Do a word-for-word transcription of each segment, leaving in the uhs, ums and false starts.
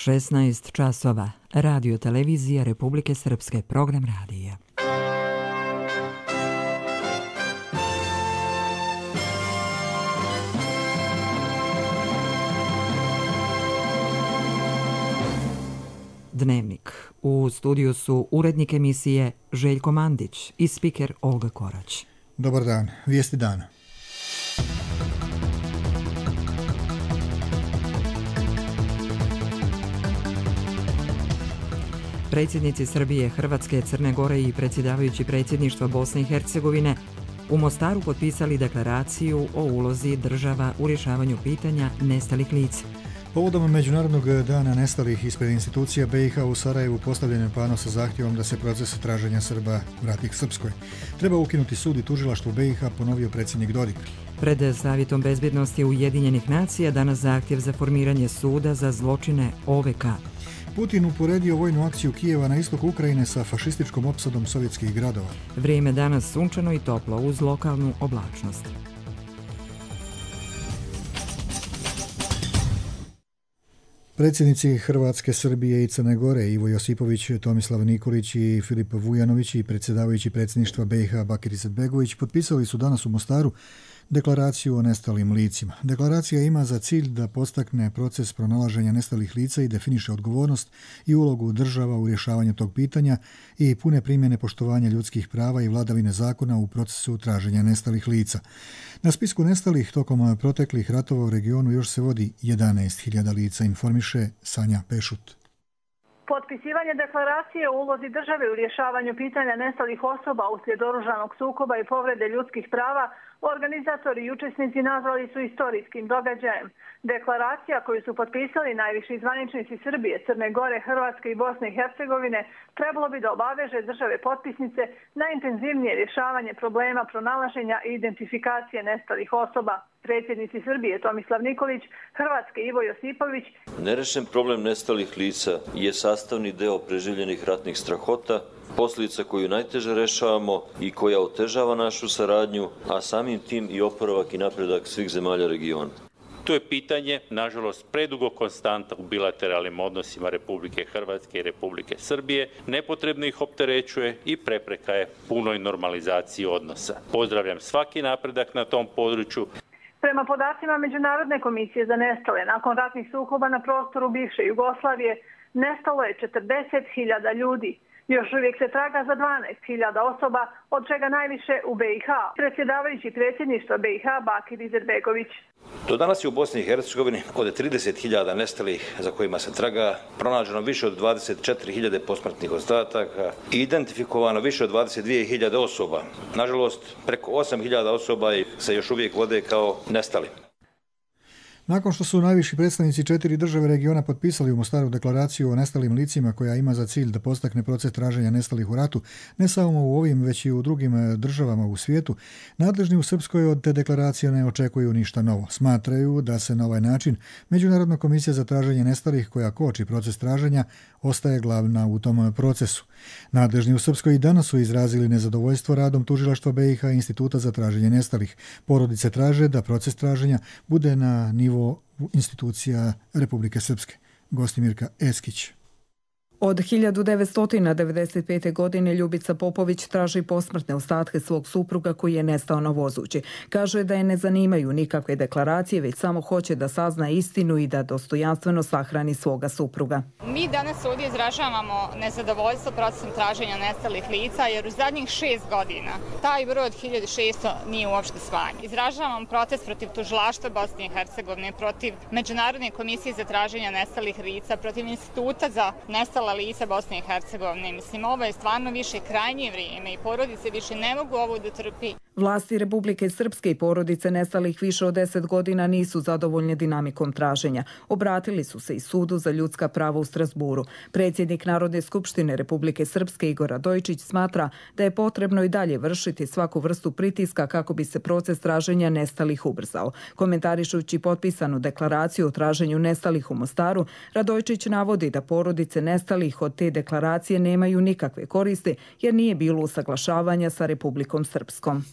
šesnaest časova. Radio televizija Republike Srpske, program radija. Dnevnik. U studiju su urednik emisije Željko Mandić i spiker Olga Korać. Dobar dan. Vijesti dana. Predsjednici Srbije, Hrvatske, Crne Gore i predsjedavajući predsjedništva Bosne i Hercegovine u Mostaru potpisali deklaraciju o ulozi država u rješavanju pitanja nestalih lica. Povodom Međunarodnog dana nestalih ispred institucija B i H u Sarajevu postavljen je pano sa zahtjevom da se proces traženja Srba vrati k Srpskoj. Treba ukinuti sud i tužilaštvo B i H, ponovio predsjednik Dodik. Pred Savjetom bezbjednosti Ujedinjenih nacija danas zahtjev za formiranje suda za zločine O V K. Putin uporedio vojnu akciju Kijeva na istoku Ukrajine sa fašističkom opsadom sovjetskih gradova. Vrijeme danas sunčano i toplo uz lokalnu oblačnost. Predsjednici Hrvatske, Srbije i Crne Gore Ivo Josipović, Tomislav Nikolić i Filip Vujanović i predsjedavajući predsjedništva B i H Bakir Izetbegović potpisali su danas u Mostaru deklaraciju o nestalim licima. Deklaracija ima za cilj da podstakne proces pronalaženja nestalih lica i definiše odgovornost i ulogu država u rješavanju tog pitanja i pune primjene poštovanja ljudskih prava i vladavine zakona u procesu traženja nestalih lica. Na spisku nestalih tokom proteklih ratova u regionu još se vodi jedanaest hiljada lica, informiše Sanja Pešut. Potpisivanje deklaracije o ulozi države u rješavanju pitanja nestalih osoba uslijed oružanog sukoba i povrede ljudskih prava organizatori i učesnici nazvali su istorijskim događajem. Deklaracija koju su potpisali najviši zvaničnici Srbije, Crne Gore, Hrvatske i Bosne i Hercegovine trebalo bi da obaveže države potpisnice na intenzivnije rješavanje problema pronalaženja i identifikacije nestalih osoba. Predsjednici Srbije Tomislav Nikolić, Hrvatske Ivo Josipović. Nerešen problem nestalih lica je sastavni deo preživljenih ratnih strahota, posljedica koju najteže rešavamo i koja otežava našu saradnju, a samim tim i oporavak i napredak svih zemalja regiona. To je pitanje, nažalost, predugo konstanta u bilateralnim odnosima Republike Hrvatske i Republike Srbije, nepotrebno ih opterećuje i prepreka je punoj normalizaciji odnosa. Pozdravljam svaki napredak na tom području. Prema podacima Međunarodne komisije za nestale, nakon ratnih sukoba na prostoru bivše Jugoslavije, nestalo je četrdeset hiljada ljudi. Još uvijek se traga za dvanaest hiljada osoba, od čega najviše u B i H. Predsjedavajući predsjedništva B i H Bakir Izetbegović. Do danas je u Bosni i Hercegovini od trideset hiljada nestalih za kojima se traga pronađeno više od dvadeset četiri hiljade posmrtnih ostataka i identifikovano više od dvadeset dvije hiljade osoba. Nažalost, preko osam hiljada osoba se još uvijek vode kao nestali. Nakon što su najviši predstavnici četiri države regiona potpisali u Mostaru deklaraciju o nestalim licima koja ima za cilj da podstakne proces traženja nestalih u ratu, ne samo u ovim, već i u drugim državama u svijetu, nadležni u Srpskoj od te deklaracije ne očekuju ništa novo. Smatraju da se na ovaj način Međunarodna komisija za traženje nestalih, koja koči proces traženja, ostaje glavna u tom procesu. Nadležni u Srpskoj i danas su izrazili nezadovoljstvo radom tužilaštva B i H Instituta za traženje nestalih. Porodice traže da proces traženja bude na nivo institucija Republike Srpske. Gostimirka Eskić. Od hiljadu devetsto devedeset pete. godine Ljubica Popović traži posmrtne ostatke svog supruga koji je nestao na vozući. Kaže da je ne zanimaju nikakve deklaracije, već samo hoće da sazna istinu i da dostojanstveno sahrani svoga supruga. Mi danas ovdje izražavamo nezadovoljstvo procesom traženja nestalih lica, jer u zadnjih šest godina taj broj od hiljadu šesto nije uopšte smanjen. Izražavamo protest protiv tužilaštva Bosne i Hercegovine, protiv Međunarodne komisije za traženje nestalih lica, protiv Instituta za nestala lica Bosne i Hercegovine. Mislim, ovo je stvarno više krajnje vrijeme i porodice više ne mogu ovo da trpi. Vlasti Republike Srpske i porodice nestalih više od deset godina nisu zadovoljne dinamikom traženja. Obratili su se i Sudu za ljudska prava u Strasburu. Predsjednik Narodne skupštine Republike Srpske Igor Radojičić smatra da je potrebno i dalje vršiti svaku vrstu pritiska kako bi se proces traženja nestalih ubrzao. Komentarišući potpisanu deklaraciju o traženju nestalih u Mostaru, Radojičić navodi da porodice nestalih od te deklaracije nemaju nikakve koriste jer nije bilo usaglašavanja sa Republikom Srpskom.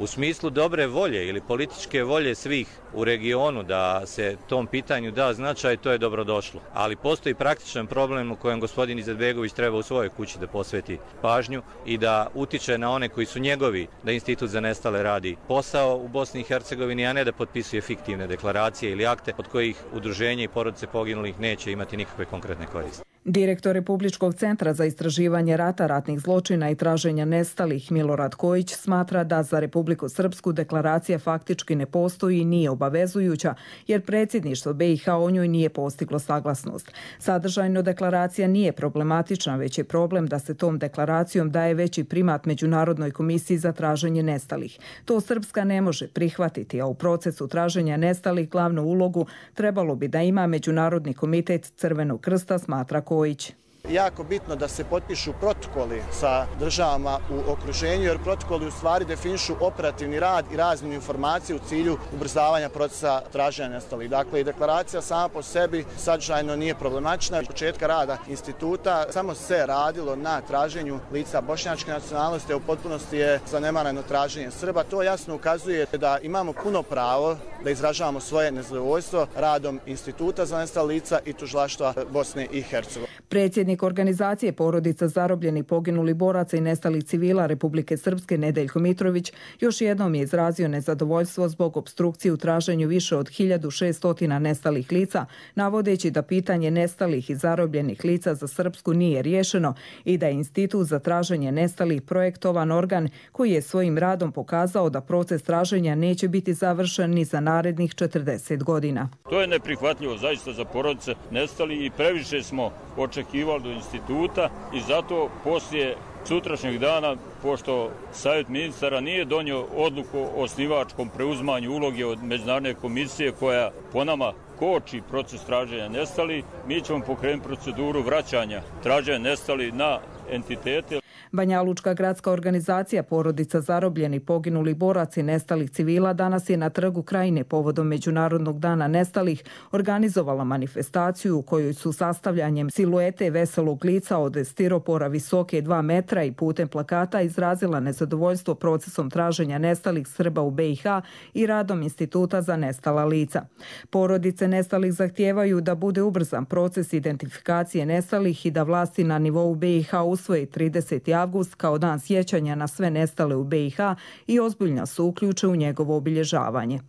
U smislu dobre volje ili političke volje svih u regionu da se tom pitanju da značaj, to je dobrodošlo. Ali postoji praktičan problem u kojem gospodin Izetbegović treba u svojoj kući da posveti pažnju i da utiče na one koji su njegovi, da Institut za nestale radi posao u Bosni i Hercegovini, a ne da potpisuje fiktivne deklaracije ili akte od kojih udruženje i porodice poginulih neće imati nikakve konkretne koriste. Direktor Republičkog centra za istraživanje rata, ratnih zločina i traženja nestalih Milorad Kojić smatra da za Republiku Srpsku deklaracija faktički ne postoji i nije obavezujuća, jer predsjedništvo B i H o njoj nije postiglo saglasnost. Sadržajno deklaracija nije problematična, već je problem da se tom deklaracijom daje veći primat Međunarodnoj komisiji za traženje nestalih. To Srpska ne može prihvatiti, a u procesu traženja nestalih glavnu ulogu trebalo bi da ima Međunarodni komitet Crvenog krsta, smatra Kojić. Jako bitno da se potpišu protokoli sa državama u okruženju, jer protokoli u stvari definišu operativni rad i razmjenu informacije u cilju ubrzavanja procesa traženja nestalih. Dakle, i deklaracija sama po sebi sadržajno nije problematična. Od početka rada instituta samo se radilo na traženju lica bošnjačke nacionalnosti, a u potpunosti je zanemareno traženje Srba. To jasno ukazuje da imamo puno pravo da izražavamo svoje nezadovoljstvo radom Instituta za nestala lica i Tužilaštva Bosne i Hercegovine. Predsjednik organizacije porodica zarobljenih, poginulih boraca i nestalih civila Republike Srpske Nedeljko Mitrović još jednom je izrazio nezadovoljstvo zbog opstrukcije u traženju više od hiljadu šesto nestalih lica, navodeći da pitanje nestalih i zarobljenih lica za Srpsku nije riješeno i da je Institut za traženje nestalih projektovan organ koji je svojim radom pokazao da proces traženja neće biti završen ni za narednih četrdeset godina. To je neprihvatljivo zaista za porodice nestalih i previše smo očekivali do instituta i zato poslije sutrašnjeg dana, pošto Savjet ministara nije donio odluku o osnivačkom preuzimanju uloge od Međunarodne komisije koja po nama koči proces traženja nestalih, mi ćemo pokrenuti proceduru vraćanja traženja nestalih na entitete. Banjalučka gradska organizacija porodica zarobljenih, poginulih boraca i nestalih civila danas je na Trgu Krajine povodom Međunarodnog dana nestalih organizovala manifestaciju u kojoj su sastavljanjem siluete veselog lica od stiropora visoke dva metra i putem plakata izrazila nezadovoljstvo procesom traženja nestalih Srba u B i H i radom Instituta za nestala lica. Porodice nestalih zahtijevaju da bude ubrzan proces identifikacije nestalih i da vlasti na nivou B i H usvoje trideseti avgust kao dan sjećanja na sve nestale u B i H i ozbiljno se uključe u njegovo obilježavanje.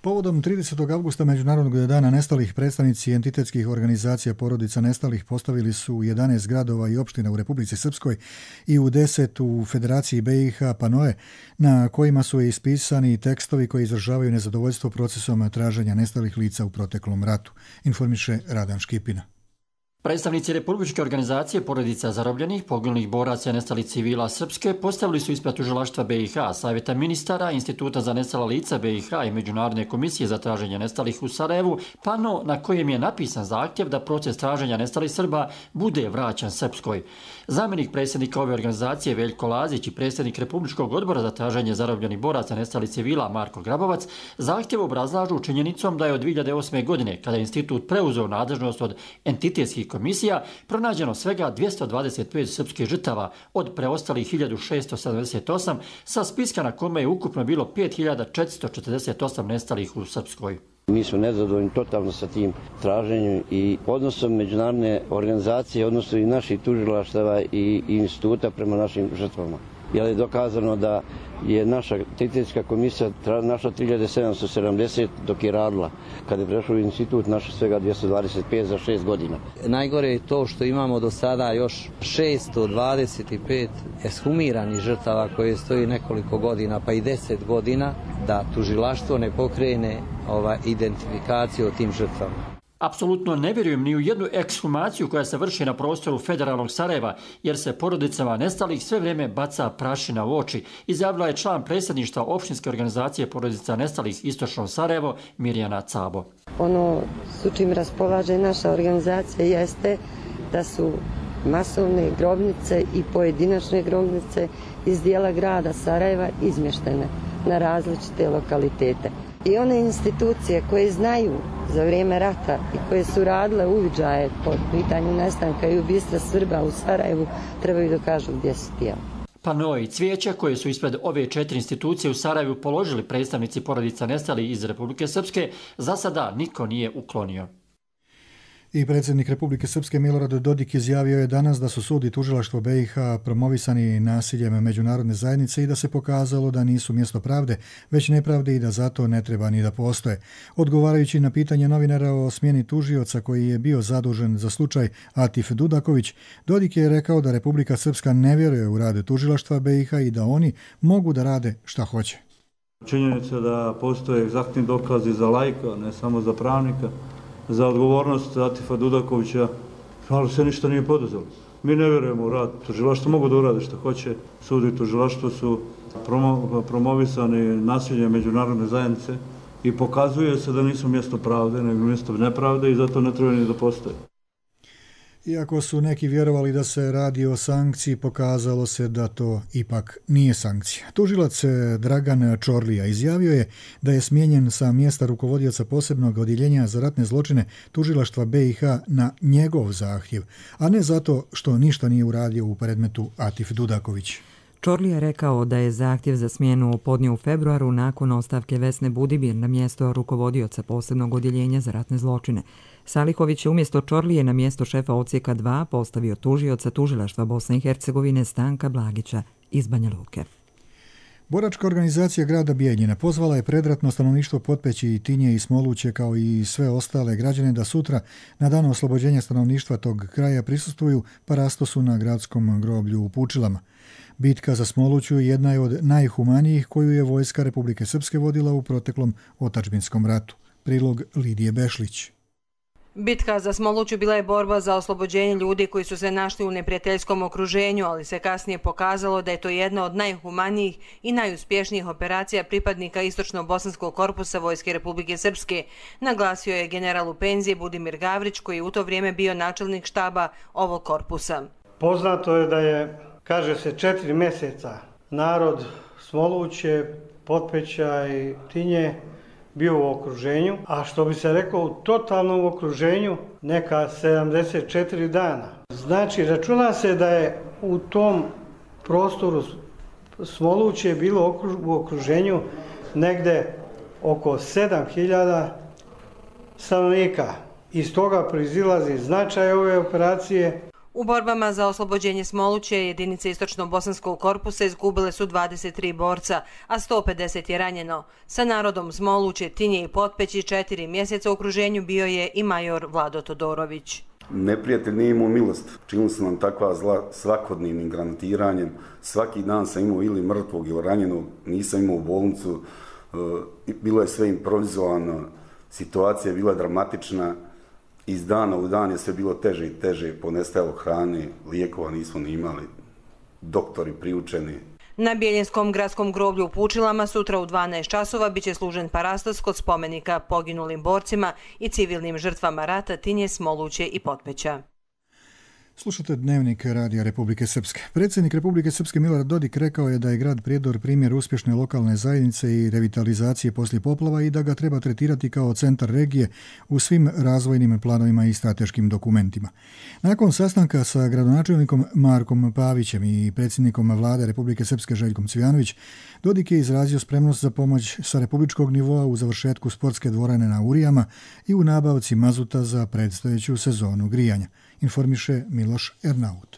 Povodom tridesetog avgusta Međunarodnog dana nestalih, predstavnici entitetskih organizacija porodica nestalih postavili su u jedanaest gradova i opština u Republici Srpskoj i u deset u Federaciji B i H panoe na kojima su ispisani tekstovi koji izražavaju nezadovoljstvo procesom traženja nestalih lica u proteklom ratu, informiše Radan Škipina. Predstavnici Republičke organizacije porodica zarobljenih, poginulih boraca i nestalih civila Srpske postavili su ispred Tužilaštva B i H, Savjeta ministara, Instituta za nestala lica B i H i Međunarodne komisije za traženje nestalih u Sarajevu, pano na kojem je napisan zahtjev da proces traženja nestalih Srba bude vraćan Srpskoj. Zamjenik predsjednika ove organizacije Veljko Lazić i predsjednik Republičkog odbora za traženje zarobljenih boraca i nestalih civila Marko Grabovac zahtjev obrazlažu činjenicom da je od dvije hiljade osme. godine, kada je institut preuzeo nadležnost od entitetskih komisija, pronađeno svega dvjesto dvadeset pet srpskih žrtava od preostalih hiljadu šesto sedamdeset osam sa spiska na kome je ukupno bilo pet hiljada četiristo četrdeset osam nestalih u Srpskoj. Mi smo nezadovoljni totalno sa tim traženjem i odnosom međunarodne organizacije, odnosno i naših tužilaštava i instituta prema našim žrtvama. Jer je dokazano da je naša entitetska komisija našla tri hiljade sedamsto sedamdeset dok je radila. Kada je prešao u institut našla svega dvjesto dvadeset pet za šest godina. Najgore je to što imamo do sada još šesto dvadeset pet eshumiranih žrtava koje stoji nekoliko godina pa i deset godina da tužilaštvo ne pokrene ova identifikaciju o tim žrtvama. Apsolutno ne vjerujem ni u jednu ekshumaciju koja se vrši na prostoru federalnog Sarajeva, jer se porodicama nestalih sve vrijeme baca prašina u oči, izjavila je član predsjedništva opštinske organizacije porodica nestalih Istočno Sarajevo Mirjana Cabo. Ono s čim raspolaže naša organizacija jeste da su masovne grobnice i pojedinačne grobnice iz dijela grada Sarajeva izmještene na različite lokalitete. I one institucije koje znaju za vrijeme rata i koje su radile uviđaje po pitanju nestanka i ubistva Srba u Sarajevu trebaju da kažu gdje su tijela. Panoe i cvijeća koje su ispred ove četiri institucije u Sarajevu položili predstavnici porodica nestalih iz Republike Srpske, za sada niko nije uklonio. I predsjednik Republike Srpske Milorad Dodik izjavio je danas da su sud i tužilaštvo B i H promovisani nasiljem međunarodne zajednice i da se pokazalo da nisu mjesto pravde, već nepravde i da zato ne treba ni da postoje. Odgovarajući na pitanje novinara o smjeni tužioca koji je bio zadužen za slučaj Atif Dudaković, Dodik je rekao da Republika Srpska ne vjeruje u rad tužilaštva B i H i da oni mogu da rade šta hoće. Činjenica da postoje egzaktni dokazi za laika, ne samo za pravnika, za odgovornost Atifa Dudakovića, ali se ništa nije poduzelo. Mi ne vjerujemo u rad tužilaštva, mogu da urade što hoće. Sud i tužilaštvo su promo, promovisani nasiljem međunarodne zajednice i pokazuje se da nisu mjesto pravde, nego mjesto nepravde i zato ne treba ni da postoje. Iako su neki vjerovali da se radi o sankciji, pokazalo se da to ipak nije sankcija. Tužilac Dragan Čorlija izjavio je da je smijenjen sa mjesta rukovodioca posebnog odjeljenja za ratne zločine tužilaštva B i H na njegov zahtjev, a ne zato što ništa nije uradio u predmetu Atif Dudaković. Čorlija je rekao da je zahtjev za smjenu podnio u februaru nakon ostavke Vesne Budimir na mjesto rukovodioca posebnog odjeljenja za ratne zločine. Salihović je umjesto Čorlije na mjesto šefa odsjeka dva postavio tužioca tužilaštva Bosne i Hercegovine Stanka Blagića iz Banja Luke. Boračka organizacija grada Bijeljina pozvala je predratno stanovništvo Potpeći, Tinje i Smoluće kao i sve ostale građane da sutra na dan oslobođenja stanovništva tog kraja prisustvuju parastosu na gradskom groblju u Pučilama. Bitka za Smoluću jedna je od najhumanijih koju je vojska Republike Srpske vodila u proteklom otadžbinskom ratu. Prilog Lidije Bešlić. Bitka za Smoluću bila je borba za oslobođenje ljudi koji su se našli u neprijateljskom okruženju, ali se kasnije pokazalo da je to jedna od najhumanijih i najuspješnijih operacija pripadnika Istočno-Bosanskog korpusa Vojske Republike Srpske, naglasio je general u penziji Budimir Gavrić, koji je u to vrijeme bio načelnik štaba ovog korpusa. Poznato je da je, kaže se, četiri mjeseca narod Smoluće, Potpeća i Tinje bio u okruženju, a što bi se rekao u totalnom okruženju neka sedamdeset četiri dana. Znači, računa se da je u tom prostoru Smoluće bilo u okruženju negde oko sedam hiljada stanovnika. Iz toga proizilazi značaj ove operacije. U borbama za oslobođenje Smoluće jedinice Istočno-Bosanskog korpusa izgubile su dvadeset tri borca, a sto pedeset je ranjeno. Sa narodom Smoluće, Tinje i Potpeći četiri mjeseca u okruženju bio je i major Vlado Todorović. Neprijatelj nije imao milost. Činili su nam takva zla svakodnevnim granatiranjem. Svaki dan sam imao ili mrtvog ili ranjenog, nisam imao u bolnicu. Bilo je sve improvizovano, situacija je bila dramatična. Iz dana u dan je sve bilo teže i teže, ponestajalo hrane, lijekova nismo ni imali, doktori priučeni. Na Bijeljinskom gradskom groblju u Pučilama sutra u dvanaest časova biće služen parastos kod spomenika poginulim borcima i civilnim žrtvama rata Tinje, Smoluće i Potpeća. Slušate Dnevnik Radija Republike Srpske. Predsjednik Republike Srpske Milorad Dodik rekao je da je grad Prijedor primjer uspješne lokalne zajednice i revitalizacije poslije poplava i da ga treba tretirati kao centar regije u svim razvojnim planovima i strateškim dokumentima. Nakon sastanka sa gradonačelnikom Markom Pavićem i predsjednikom vlade Republike Srpske Željkom Cvijanović, Dodik je izrazio spremnost za pomoć sa republičkog nivoa u završetku sportske dvorane na Urijama i u nabavci mazuta za predstojeću sezonu grijanja, informiše Miloš Ernaut.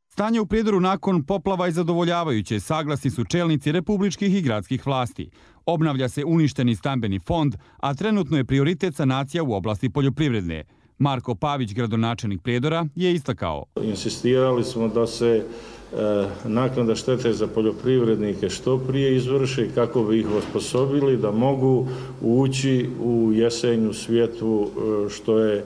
Stanje u Prijedoru nakon poplava je zadovoljavajuće, saglasni su čelnici republičkih i gradskih vlasti. Obnavlja se uništeni stambeni fond, a trenutno je prioritet sanacija u oblasti poljoprivredne. Marko Pavić, gradonačelnik Prijedora, je istakao. Insistirali smo da se e, naknada štete za poljoprivrednike što prije izvrši kako bi ih osposobili da mogu ući u jesenju svijetu e, što je e,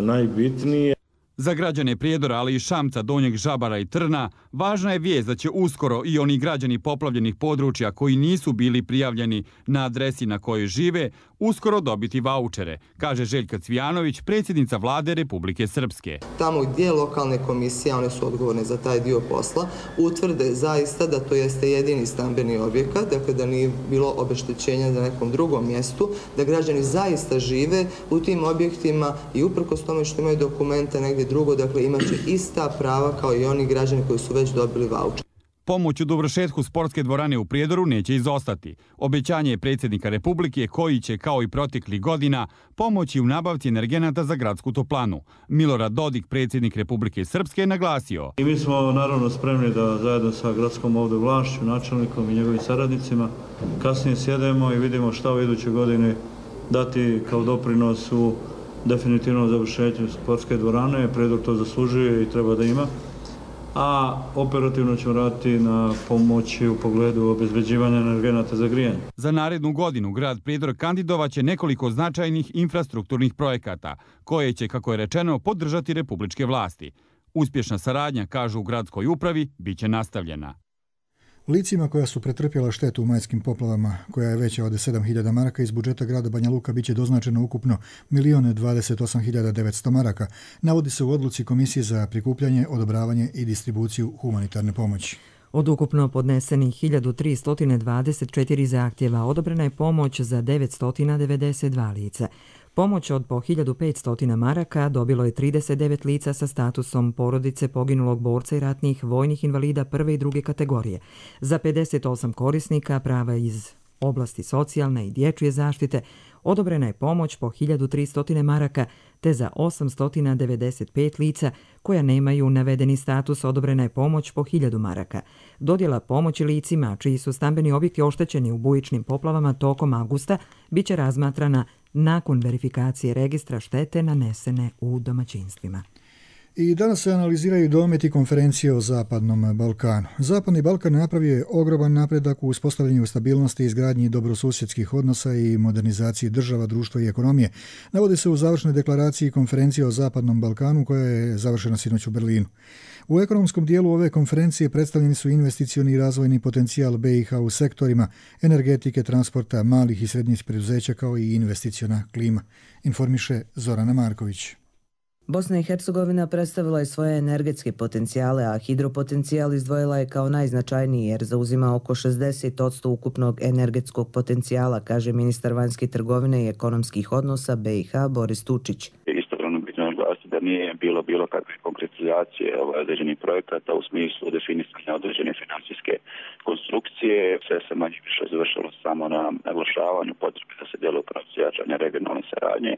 najbitnije. Za građane Prijedora, ali i Šamca, Donjeg Žabara i Trna, važna je vijest da će uskoro i oni građani poplavljenih područja koji nisu bili prijavljeni na adresi na kojoj žive, uskoro dobiti vaučere, kaže Željka Cvijanović, predsjednica vlade Republike Srpske. Tamo gdje lokalne komisije, one su odgovorne za taj dio posla, utvrde zaista da to jeste jedini stambeni objekat, dakle da nije bilo obeštećenja na nekom drugom mjestu, da građani zaista žive u tim objektima i uprkos tome što imaju dokumente negdje drugo, dakle imaće ista prava kao i oni građani koji su već dobili vaučer. Pomoć u dovršetku sportske dvorane u Prijedoru neće izostati. Obećanje je predsjednika Republike koji će, kao i proteklih godina, pomoći u nabavci energenata za gradsku toplanu. Milorad Dodik, predsjednik Republike Srpske, je naglasio. I mi smo naravno spremni da zajedno sa gradskom ovdje vlašću, načelnikom i njegovim saradnicima kasnije sjedemo i vidimo šta u idućoj godini dati kao doprinos u definitivnom završenju sportske dvorane. Prijedor to zaslužuje i treba da ima. A operativno ćemo raditi na pomoći u pogledu obezbeđivanja energenata za grijanje. Za narednu godinu grad Prijedor kandidovaće nekoliko značajnih infrastrukturnih projekata, koje će, kako je rečeno, podržati republičke vlasti. Uspješna saradnja, kažu u gradskoj upravi, bit će nastavljena. Licima koja su pretrpjela štetu u majskim poplavama, koja je veća od sedam hiljada maraka, iz budžeta grada Banja Luka biće doznačeno ukupno milion dvadeset osam hiljada devetsto maraka, navodi se u odluci Komisije za prikupljanje, odobravanje i distribuciju humanitarne pomoći. Od ukupno podnesenih hiljadu tristo dvadeset četiri zahtjeva odobrena je pomoć za devetsto devedeset dva lica. Pomoć od po hiljadu petsto maraka dobilo je trideset devet lica sa statusom porodice poginulog borca i ratnih vojnih invalida prve i druge kategorije. Za pedeset osam korisnika prava iz oblasti socijalne i dječje zaštite odobrena je pomoć po hiljadu tristo maraka, te za osamsto devedeset pet lica koja nemaju navedeni status odobrena je pomoć po hiljadu maraka. Dodjela pomoći licima čiji su stambeni objekti oštećeni u bujičnim poplavama tokom avgusta biće razmatrana nakon verifikacije registra štete nanesene u domaćinstvima. I danas se analiziraju dometi konferencije o Zapadnom Balkanu. Zapadni Balkan napravio je ogroman napredak u uspostavljanju stabilnosti i izgradnji dobrosusjedskih odnosa i modernizaciji država, društva i ekonomije. Navodi se u završnoj deklaraciji konferencije o Zapadnom Balkanu koja je završena sinoć u Berlinu. U ekonomskom dijelu ove konferencije predstavljeni su investicioni i razvojni potencijal B i H u sektorima energetike, transporta, malih i srednjih preduzeća kao i investiciona klima, informiše Zorana Marković. Bosna i Hercegovina predstavila je svoje energetske potencijale, a hidropotencijal izdvojila je kao najznačajniji jer zauzima oko šezdeset posto ukupnog energetskog potencijala, kaže ministar vanjske trgovine i ekonomskih odnosa B i H Boris Tučić. Istovremeno bitno naglasiti da nije bilo bilo kakve konkretizacije određenih projekata u smislu definisanja određene financijske konstrukcije. Sve se manje više završilo samo na naglašavanju potrebe da se djeluje u pravcu jačanja regionalne saradnje,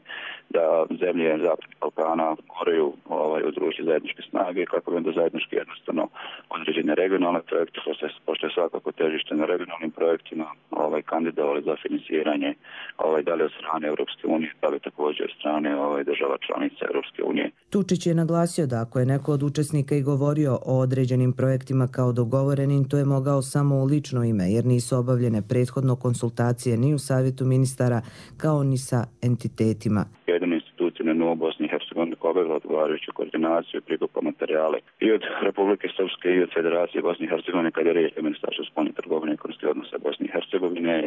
da zemlje Zapadnog Balkana moraju ovaj, udružiti zajedničke snage kako bi onda zajednički jednostavno određene regionalne projekte, pošto je svakako težište na regionalnim projektima, ovaj, kandidovali za financiranje ovaj, da li od strane Europske unije, da li također od strane ovaj, država članica Europske unije. Tučić je naglasio da ako je neko od učesnika i govorio o određenim projektima kao dogovorenim, to je mogao samo u lično ime, jer nisu obavljene prethodno konsultacije ni u savjetu ministara, kao ni sa entitetima. Jedine institucije na nivou Bosne i Hercegovine koja obavila odgovarajuću koordinaciju i prikupa materijale i od Republike Srpske i od Federacije Bosne i Hercegovine kada je riječ o Ministarstvu spoljne trgovine i ekonomskih odnosa Bosne i Hercegovine.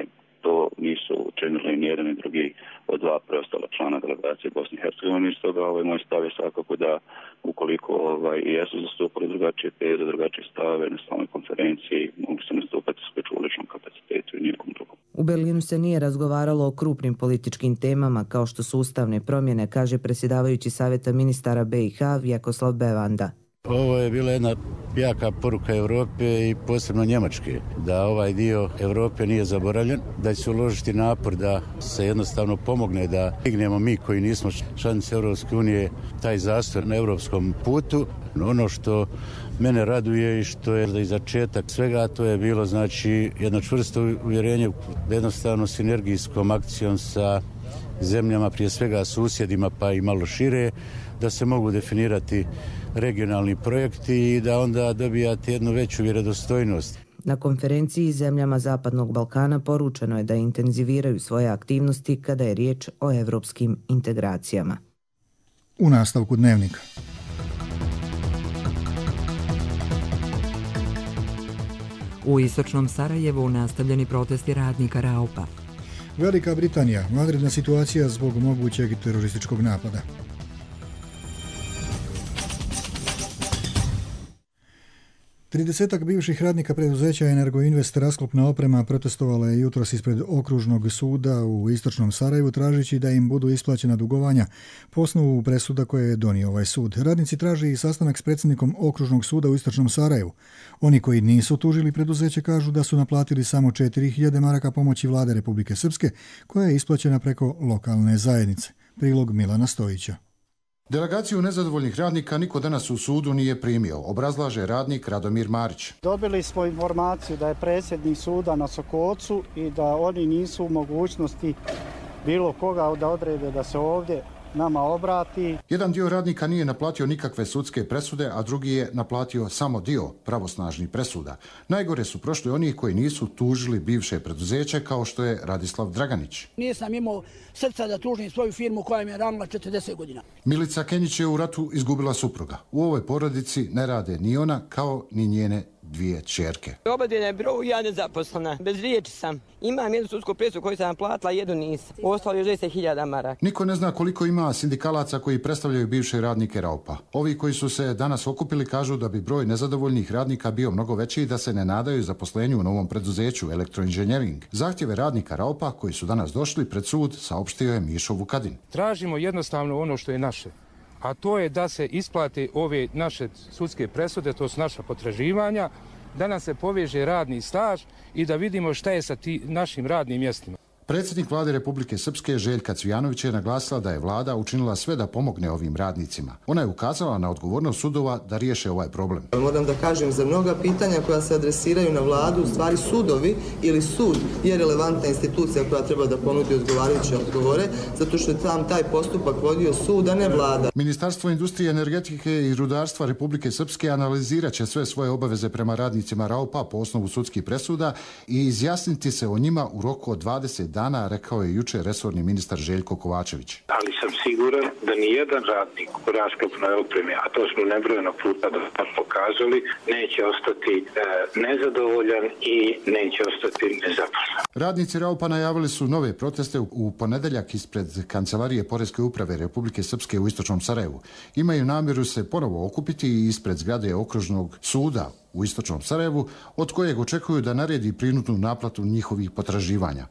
To nisu učinili ni jedan ni drugi od dva preostala člana delegacije Bosne i Hercegovine. Stoga ovaj moj stav je svakako da ukoliko ovaj, i jesu zastupali drugačije teze, drugačije stave na samoj konferenciji, mogu se nastupati isključivo u ličnom kapacitetu i nijekom drugom. U Berlinu se nije razgovaralo o krupnim političkim temama kao što su ustavne promjene, kaže predsjedavajući savjeta ministara B i H Vjekoslav Bevanda. Ovo je bila jedna jaka poruka Europe i posebno Njemačke, da ovaj dio Europe nije zaboravljen, da će se uložiti napor da se jednostavno pomogne da dignemo mi koji nismo članice Europske unije taj zastoj na europskom putu. Ono što mene raduje i što je za začetak svega, to je bilo znači jedno čvrsto uvjerenje da jednostavno sinergijskom akcijom sa zemljama, prije svega susjedima pa i malo šire, da se mogu definirati regionalni projekti i da onda dobijate jednu veću vjerodostojnost. Na konferenciji zemljama Zapadnog Balkana poručeno je da intenziviraju svoje aktivnosti kada je riječ o evropskim integracijama. U nastavku dnevnika. U istočnom Sarajevu nastavljeni protesti radnika Raupa. Velika Britanija, vanredna situacija zbog mogućeg terorističkog napada. Tridesetak bivših radnika preduzeća Energoinvest rasklopna oprema protestovala je jutros ispred okružnog suda u istočnom Sarajevu tražeći da im budu isplaćena dugovanja po osnovu presuda koje je donio ovaj sud. Radnici traži i sastanak s predsjednikom okružnog suda u istočnom Sarajevu. Oni koji nisu tužili preduzeće kažu da su naplatili samo četiri hiljade maraka pomoći vlade Republike Srpske koja je isplaćena preko lokalne zajednice. Prilog Milana Stojića. Delegaciju nezadovoljnih radnika niko danas u sudu nije primio, obrazlaže radnik Radomir Marić. Dobili smo informaciju da je predsjednik suda na Sokocu i da oni nisu u mogućnosti bilo koga da odrede da se ovdje nama obrati. Jedan dio radnika nije naplatio nikakve sudske presude, a drugi je naplatio samo dio pravosnažnih presuda. Najgore su prošli oni koji nisu tužili bivše preduzeće kao što je Radislav Draganić. Nisam imao srca da tužim svoju firmu koja mi je ranila četrdeset godina. Milica Kenjić je u ratu izgubila supruga. U ovoj porodici ne rade ni ona kao ni njene dvije ćerke. Obadvije je bro, ja nezaposlena. Bez riječi sam. Imam jednu sudsku presudu koju sam platila, jednu nisam. Ostalo je deset hiljada maraka. Niko ne zna koliko ima sindikalaca koji predstavljaju bivše radnike Raupa. Ovi koji su se danas okupili kažu da bi broj nezadovoljnih radnika bio mnogo veći i da se ne nadaju zaposlenju u novom preduzeću Elektroinženjering. Zahtjeve radnika Raupa koji su danas došli pred sud saopštio je Mišo Vukadin. Tražimo jednostavno ono što je naše, a to je da se isplate ove naše sudske presude, to su naša potraživanja, da nam se poveže radni staž i da vidimo šta je sa ti našim radnim mjestima. Predsjednik vlade Republike Srpske Željka Cvijanović je naglasila da je vlada učinila sve da pomogne ovim radnicima. Ona je ukazala na odgovornost sudova da riješe ovaj problem. Moram da kažem, za mnoga pitanja koja se adresiraju na vladu, u stvari sudovi ili sud je relevantna institucija koja treba da ponudi odgovarajuće odgovore, zato što je tam taj postupak vodio sud, a ne vlada. Ministarstvo industrije, energetike i rudarstva Republike Srpske analizirat će sve svoje obaveze prema radnicima Raupa po osnovu sudskih presuda i izjasniti se o njima u roku od dvadeset dana, rekao je jučer resorni ministar Željko Kovačević. Ali sam siguran da ni jedan radnik u rasklopnoj opremi, a to smo nebrojeno puta da pokazali, neće ostati e, nezadovoljan i neće ostati nezaposlen. Radnici Raupa najavili su nove proteste u ponedeljak ispred Kancelarije Poreske uprave Republike Srpske u istočnom Sarajevu. Imaju namjeru se ponovo okupiti ispred zgrade okružnog suda u istočnom Sarajevu, od kojeg očekuju da naredi prinudnu naplatu njihovih potraživanja.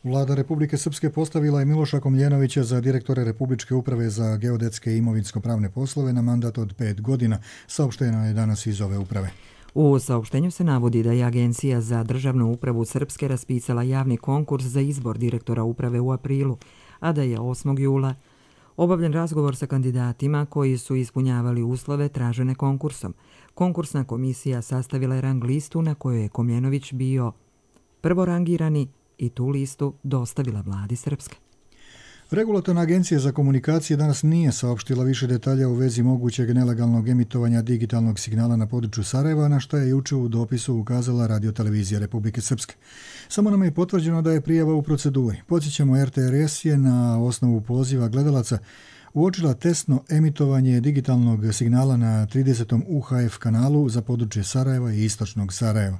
Vlada Republike Srpske postavila je Miloša Komljenovića za direktore Republičke uprave za geodetske i imovinsko-pravne poslove na mandat od pet godina, saopšteno je danas iz ove uprave. U saopštenju se navodi da je Agencija za državnu upravu Srpske raspisala javni konkurs za izbor direktora uprave u aprilu, a da je osmog jula obavljen razgovor sa kandidatima koji su ispunjavali uslove tražene konkursom. Konkursna komisija sastavila je rang listu na kojoj je Komljenović bio prvorangirani i tu listu dostavila vladi Srpske. Regulatorna agencija za komunikacije danas nije saopštila više detalja u vezi mogućeg nelegalnog emitovanja digitalnog signala na području Sarajeva, na što je juče u dopisu ukazala radiotelevizija Republike Srpske. Samo nam je potvrđeno da je prijava u proceduri. Podsjećamo, R T R S je na osnovu poziva gledalaca uočila testno emitovanje digitalnog signala na tridesetom U H F kanalu za područje Sarajeva i istočnog Sarajeva.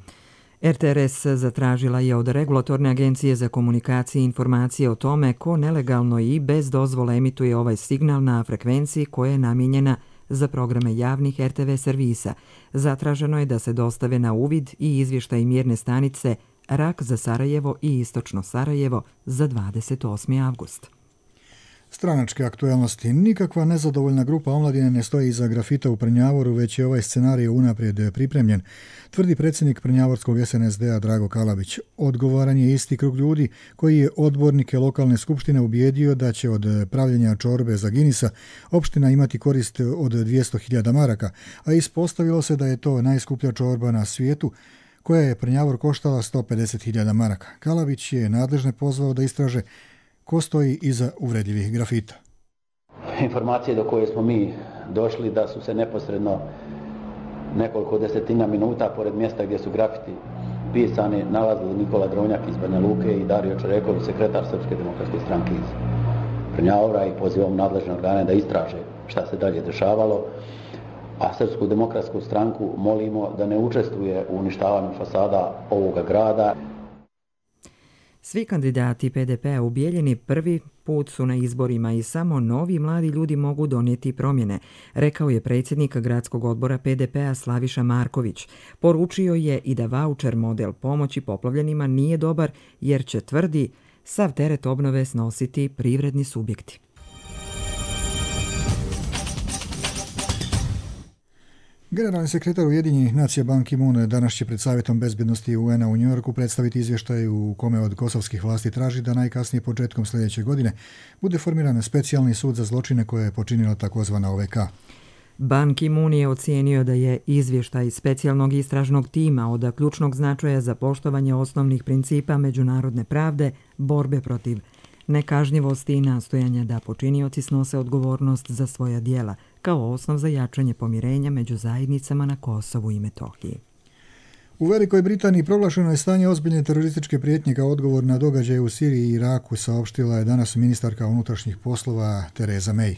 R T R S zatražila je od Regulatorne agencije za komunikacije informacije o tome ko nelegalno i bez dozvole emituje ovaj signal na frekvenciji koja je namijenjena za programe javnih R T V servisa. Zatraženo je da se dostave na uvid i izvještaj mjerne stanice Rak za Sarajevo i istočno Sarajevo za dvadeset osmi avgust. Stranačke aktualnosti. Nikakva nezadovoljna grupa omladine ne stoji iza grafita u Prnjavoru, već je ovaj scenarij unaprijed pripremljen, tvrdi predsjednik prnjavorskog S N S D-a Drago Kalabić. Odgovoran je isti krug ljudi koji je odbornike lokalne skupštine ubijedio da će od pravljenja čorbe za Ginisa opština imati korist od dvjesto hiljada maraka, a ispostavilo se da je to najskuplja čorba na svijetu, koja je Prnjavor koštala sto pedeset hiljada maraka. Kalabić je nadležne pozvao da istraže ko stoji iza uvredljivih grafita. Informacije do koje smo mi došli da su se neposredno nekoliko desetina minuta pored mjesta gdje su grafiti pisani nalazili Nikola Dronjak iz Banja Luke i Dario Čereković, sekretar Srpske demokratske stranke iz Prnjavora, i pozivam nadležne organe da istraže šta se dalje dešavalo, a Srpsku demokratsku stranku molimo da ne učestvuje u uništavanju fasada ovoga grada. Svi kandidati P D P-a u Bijeljini prvi put su na izborima i samo novi mladi ljudi mogu donijeti promjene, rekao je predsjednik gradskog odbora P D P-a Slaviša Marković. Poručio je i da vaučer model pomoći poplavljenima nije dobar jer će, tvrdi, sav teret obnove snositi privredni subjekti. Generalni sekretar Ujedinjenih nacija Ban Ki-moon danas će pred Savjetom bezbjednosti U N-a u Njujorku predstaviti izvještaj u kome od kosovskih vlasti traži da najkasnije početkom sljedeće godine bude formiran specijalni sud za zločine koje je počinila takozvana O V K. Ban Ki-moon je ocijenio da je izvještaj specijalnog istražnog tima od ključnog značaja za poštovanje osnovnih principa međunarodne pravde, borbe protiv nekažnjivosti i nastojanja da počinioci snose odgovornost za svoja djela, kao osnov za jačanje pomirenja među zajednicama na Kosovu i Metohiji. U Velikoj Britaniji proglašeno je stanje ozbiljne terorističke prijetnje kao odgovor na događaje u Siriji i Iraku, saopštila je danas ministarka unutrašnjih poslova Theresa May.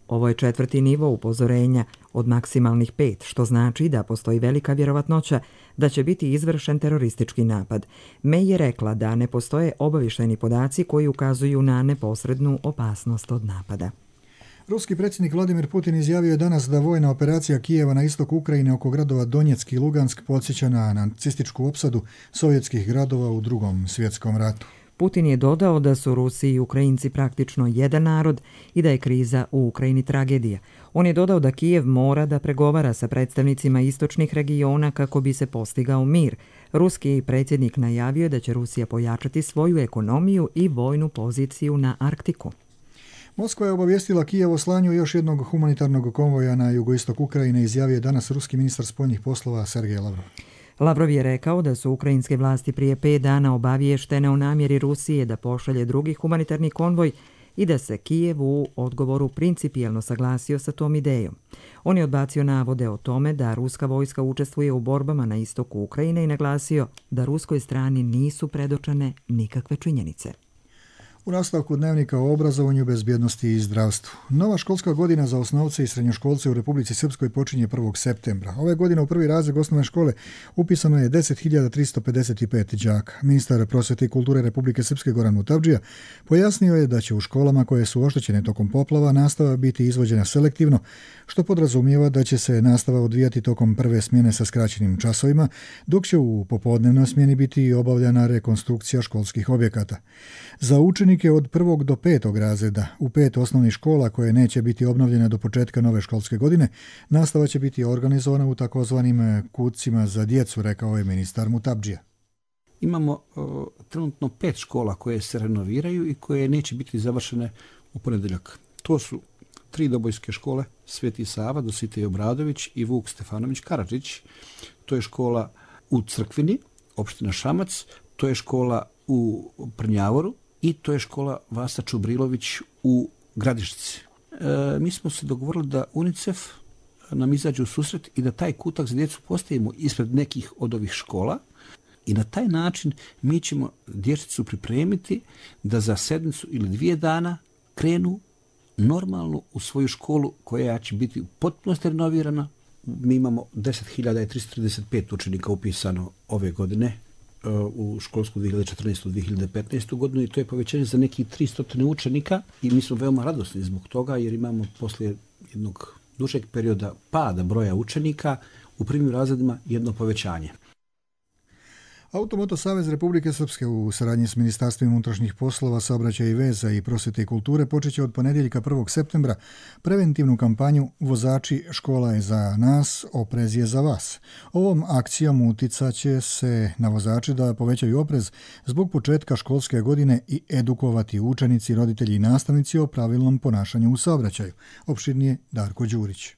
Ovo je četvrti nivo upozorenja od maksimalnih pet, što znači da postoji velika vjerovatnoća da će biti izvršen teroristički napad. May je rekla da ne postoje obavještajni podaci koji ukazuju na neposrednu opasnost od napada. Ruski predsjednik Vladimir Putin izjavio je danas da vojna operacija Kijeva na istoku Ukrajine oko gradova Donjeck i Lugansk podsjeća na nacističku opsadu sovjetskih gradova u Drugom svjetskom ratu. Putin je dodao da su Rusi i Ukrajinci praktično jedan narod i da je kriza u Ukrajini tragedija. On je dodao da Kijev mora da pregovara sa predstavnicima istočnih regiona kako bi se postigao mir. Ruski predsjednik najavio da će Rusija pojačati svoju ekonomiju i vojnu poziciju na Arktiku. Moskva je obavijestila Kijev o slanju još jednog humanitarnog konvoja na jugoistok Ukrajine, izjavio je danas ruski ministar spoljnih poslova Sergej Lavrov. Lavrov je rekao da su ukrajinske vlasti prije pet dana obaviještene o namjeri Rusije da pošalje drugi humanitarni konvoj i da se Kijev u odgovoru principijelno saglasio sa tom idejom. On je odbacio navode o tome da ruska vojska učestvuje u borbama na istoku Ukrajine i naglasio da ruskoj strani nisu predočene nikakve činjenice. U nastavku dnevnika o obrazovanju, bezbjednosti i zdravstvu. Nova školska godina za osnovce i srednjoškolce u Republici Srpskoj počinje prvog septembra. Ove godine u prvi razred osnovne škole upisano je deset hiljada tristo pedeset pet đaka. Ministar prosvjete i kulture Republike Srpske Goran Mutavdžija pojasnio je da će u školama koje su oštećene tokom poplava nastava biti izvođena selektivno, što podrazumijeva da će se nastava odvijati tokom prve smjene sa skraćenim časovima, dok će u popodnevnoj smjeni biti obavljana rekonstrukcija školskih objekata. Za učenike od prvog do petog razreda u pet osnovnih škola koje neće biti obnovljene do početka nove školske godine, nastava će biti organizovana u takozvanim kucima za djecu, rekao je ministar Mutavdžija. Imamo uh, trenutno pet škola koje se renoviraju i koje neće biti završene u ponedjeljak. To su tri dobojske škole, Sveti Sava, Dositej Obradović i Vuk Stefanović Karadžić. To je škola u Crkvini, opština Šamac, to je škola u Prnjavoru i to je škola Vasa Čubrilović u Gradišci. E, mi smo se dogovorili da UNICEF nam izađe u susret i da taj kutak za djecu postavimo ispred nekih od ovih škola i na taj način mi ćemo dječicu pripremiti da za sedmicu ili dvije dana krenu normalno u svoju školu koja će biti potpuno renovirana. Mi imamo deset hiljada tristo trideset pet učenika upisano ove godine u školsku dvije hiljade četrnaestu dvije hiljade petnaestu godinu i to je povećanje za nekih tristo učenika i mi smo veoma radosni zbog toga jer imamo poslije jednog dužeg perioda pada broja učenika u prvim razredima jedno povećanje. Automoto Savez Republike Srpske u saradnji s Ministarstvom unutrašnjih poslova, saobraćaja i veza i prosvjete i kulture počeće od ponedjeljka prvog septembra preventivnu kampanju Vozači, škola je za nas, oprez je za vas. Ovom akcijom uticat će se na vozače da povećaju oprez zbog početka školske godine i edukovati učenici, roditelji i nastavnici o pravilnom ponašanju u saobraćaju. Opširnije Darko Đurić.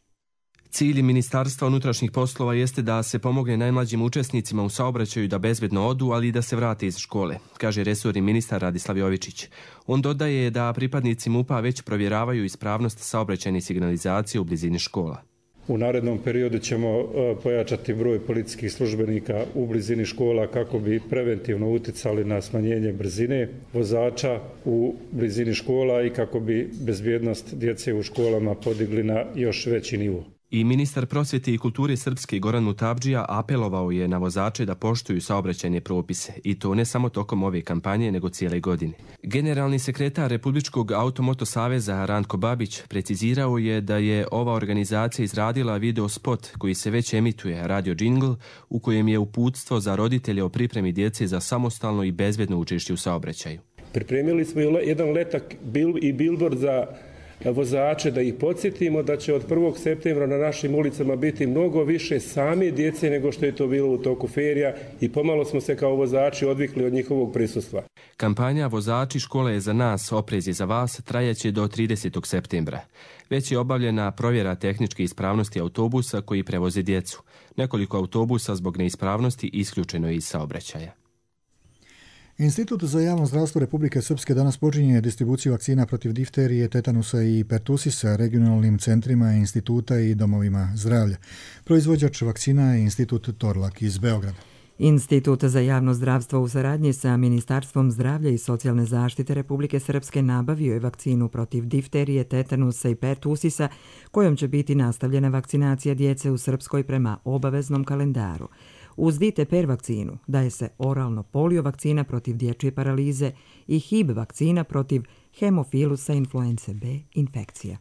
Cilj Ministarstva unutrašnjih poslova jeste da se pomogne najmlađim učesnicima u saobraćaju da bezbedno odu, ali i da se vrate iz škole, kaže resorni ministar Radislav Jovičić. On dodaje da pripadnici MUP-a već provjeravaju ispravnost saobraćajne signalizacije u blizini škola. U narednom periodu ćemo pojačati broj policijskih službenika u blizini škola kako bi preventivno uticali na smanjenje brzine vozača u blizini škola i kako bi bezbjednost djece u školama podigli na još veći nivo. I ministar prosvjete i kulture Srpske Goran Mutavdžija apelovao je na vozače da poštuju saobraćajne propise i to ne samo tokom ove kampanje nego cijele godine. Generalni sekretar Republičkog automoto saveza Ranko Babić precizirao je da je ova organizacija izradila video spot koji se već emituje, radio džingl, u kojem je uputstvo za roditelje o pripremi djece za samostalno i bezbedno učešće u saobraćaju. Pripremili smo jedan letak i billboard za vozače da ih podsjetimo da će od prvog septembra na našim ulicama biti mnogo više same djece nego što je to bilo u toku ferija i pomalo smo se kao vozači odvikli od njihovog prisustva. Kampanja Vozači, škola je za nas, oprez je za vas trajaće do tridesetog septembra. Već je obavljena provjera tehničke ispravnosti autobusa koji prevoze djecu. Nekoliko autobusa zbog neispravnosti isključeno je iz saobraćaja. Institut za javno zdravstvo Republike Srpske danas počinje distribuciju vakcina protiv difterije, tetanusa i pertusisa regionalnim centrima instituta i domovima zdravlja. Proizvođač vakcina je Institut Torlak iz Beograda. Institut za javno zdravstvo u saradnji sa Ministarstvom zdravlja i socijalne zaštite Republike Srpske nabavio je vakcinu protiv difterije, tetanusa i pertusisa, kojom će biti nastavljena vakcinacija djece u Srpskoj prema obaveznom kalendaru. Uz D T P R vakcinu daje se oralno polio vakcina protiv dječje paralize i H I B vakcina protiv hemofilusa influence B infekcija.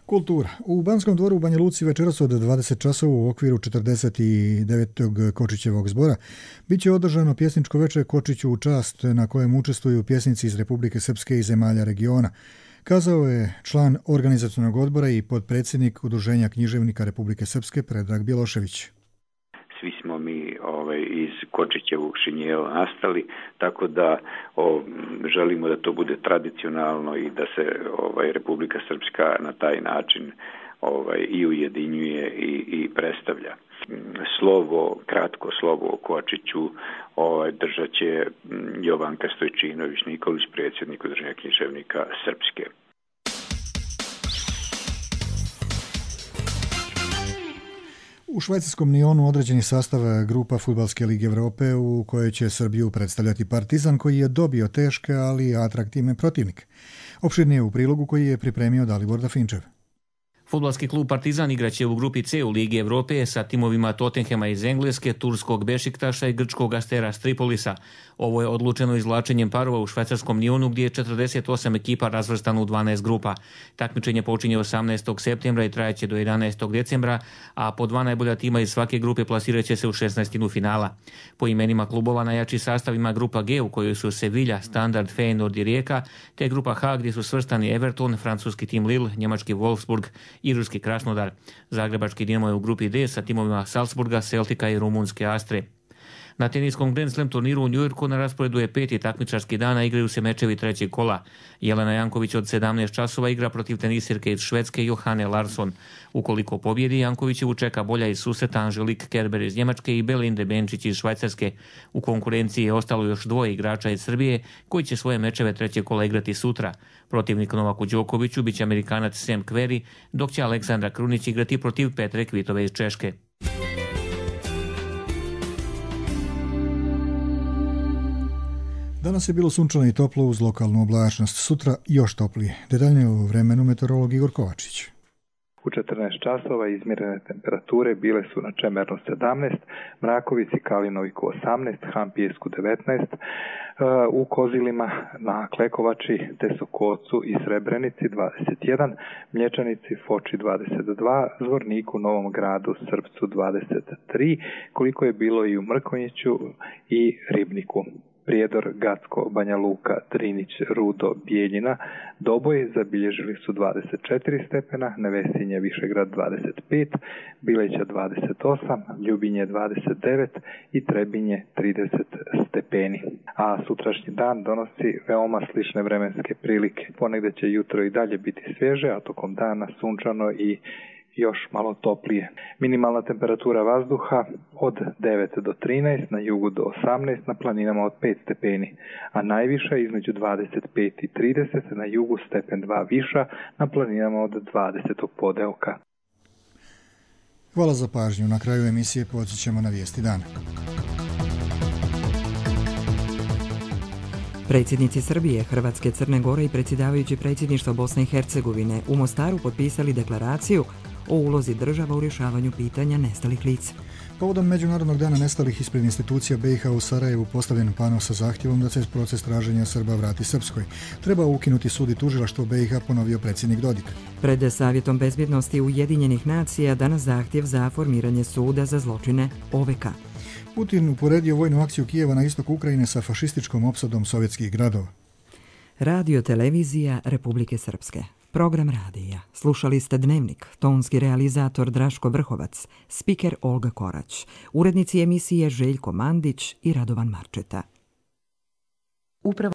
Kultura. U Banskom dvoru u Banja Luci večeras od dvadeset časova u okviru četrdeset devetog Kočićevog zbora bit će održano pjesničko večer Kočiću u čast na kojem učestvuju pjesnici iz Republike Srpske i zemalja regiona. Kazao je član organizacionog odbora i potpredsjednik Udruženja književnika Republike Srpske Predrag Bjelošević. Svi smo mi ovaj, iz Kočićevog šinjela nastali, tako da o, želimo da to bude tradicionalno i da se ovaj, Republika Srpska na taj način ovaj, i ujedinjuje i, i predstavlja. Slovo, kratko slovo o Kočiću ovaj, držat će Jovanka Stojčinović Nikolić, predsjednik Udruženja književnika Srpske. U švajcarskom Nionu određeni sastav grupa Fudbalske lige Evrope u kojoj će Srbiju predstavljati Partizan koji je dobio teške, ali atraktivne protivnike. Opširnije u prilogu koji je pripremio Dalibor Dafinčev. Fudbalski klub Partizan igraće u grupi C u Ligi Evrope sa timovima Tottenhema iz Engleske, turskog Bešiktaša i grčkog Astera Tripolisa. Ovo je odlučeno izvlačenjem parova u švajcarskom Nionu gdje je četrdeset osam ekipa razvrstano u dvanaest grupa. Takmičenje počinje osamnaestog septembra i trajaće do jedanaestog decembra, a po dva najbolja tima iz svake grupe plasirat će se u šesnaestinu finala. Po imenima klubova najjači sastav ima grupa G u kojoj su Sevilla, Standard, Feyenoord i Rijeka, te grupa H gdje su svrstani Everton, francuski tim Lille, njemački Wolfsburg i ruski Krasnodar. Zagrebački Dinamo je u grupi D sa timovima Salzburga, Celtica i rumunske Astre. Na teniskom Grand Slam turniru u Njujorku na rasporedu je peti takmičarski dan, a igraju se mečevi trećeg kola. Jelena Janković od sedamnaest časova igra protiv tenisirke iz Švedske Johane Larsson. Ukoliko pobjedi, Jankovićevu čeka bolja iz susreta Angelique Kerber iz Njemačke i Belinde Benčić iz Švajcarske. U konkurenciji je ostalo još dvoje igrača iz Srbije koji će svoje mečeve trećeg kola igrati sutra. Protivnik Novaku Đokoviću biće Amerikanac Sam Querrey, dok će Aleksandra Krunić igrati protiv Petre Kvitove iz Češke. Danas je bilo sunčano i toplo uz lokalnu oblačnost. Sutra još toplije. Detaljnije u vremenu meteorolog Igor Kovačić. U četrnaest časova izmjerene temperature bile su na Čemernu sedamnaest, Mrakovici, Kalinoviku osamnaest, Hampijesku devetnaest, u Kozilima, na Klekovači, Tesokocu i Srebrenici dvadeset jedan, Mlječanici, Foči dvadeset dva, Zvorniku, Novom Gradu, Srpcu dvadeset tri, koliko je bilo i u Mrkonjiću i Ribniku. Prijedor, Gacko, Banja Luka, Drinić, Rudo, Bijeljina, Doboj zabilježili su dvadeset četiri stepena, Nevesinje, Višegrad dvadeset pet, Bileća dvadeset osam, Ljubinje dvadeset devet i Trebinje trideset stepeni. A sutrašnji dan donosi veoma slične vremenske prilike. Ponegde će jutro i dalje biti svježe, a tokom dana sunčano i još malo toplije. Minimalna temperatura vazduha od devet do trinaest, na jugu do osamnaest, na planinama od pet stepeni, a najviša između dvadeset pet i trideset, na jugu stepen dva viša, na planinama od dvadesetog podeoka. Hvala za pažnju. Na kraju emisije podsjećamo na vijesti dana. Predsjednici Srbije, Hrvatske, Crne Gore i predsjedavajući predsjedništva Bosne i Hercegovine u Mostaru potpisali deklaraciju o ulozi država u rješavanju pitanja nestalih lica. Povodom Međunarodnog dana nestalih ispred institucija B i H u Sarajevu postavljen pano sa zahtjevom da se proces traženja Srba vrati Srpskoj. Treba ukinuti sud i tužilaštvo B i H, ponovio predsjednik Dodik. Pred Savjetom bezbjednosti Ujedinjenih nacija danas zahtjev za formiranje suda za zločine O V K. Putin uporedio vojnu akciju Kijeva na istoku Ukrajine sa fašističkom opsadom sovjetskih gradova. Radio televizija Republike Srpske. Program radija. Slušali ste Dnevnik, tonski realizator Draško Vrhovac, spiker Olga Korać, urednici emisije Željko Mandić i Radovan Marčeta. Upravo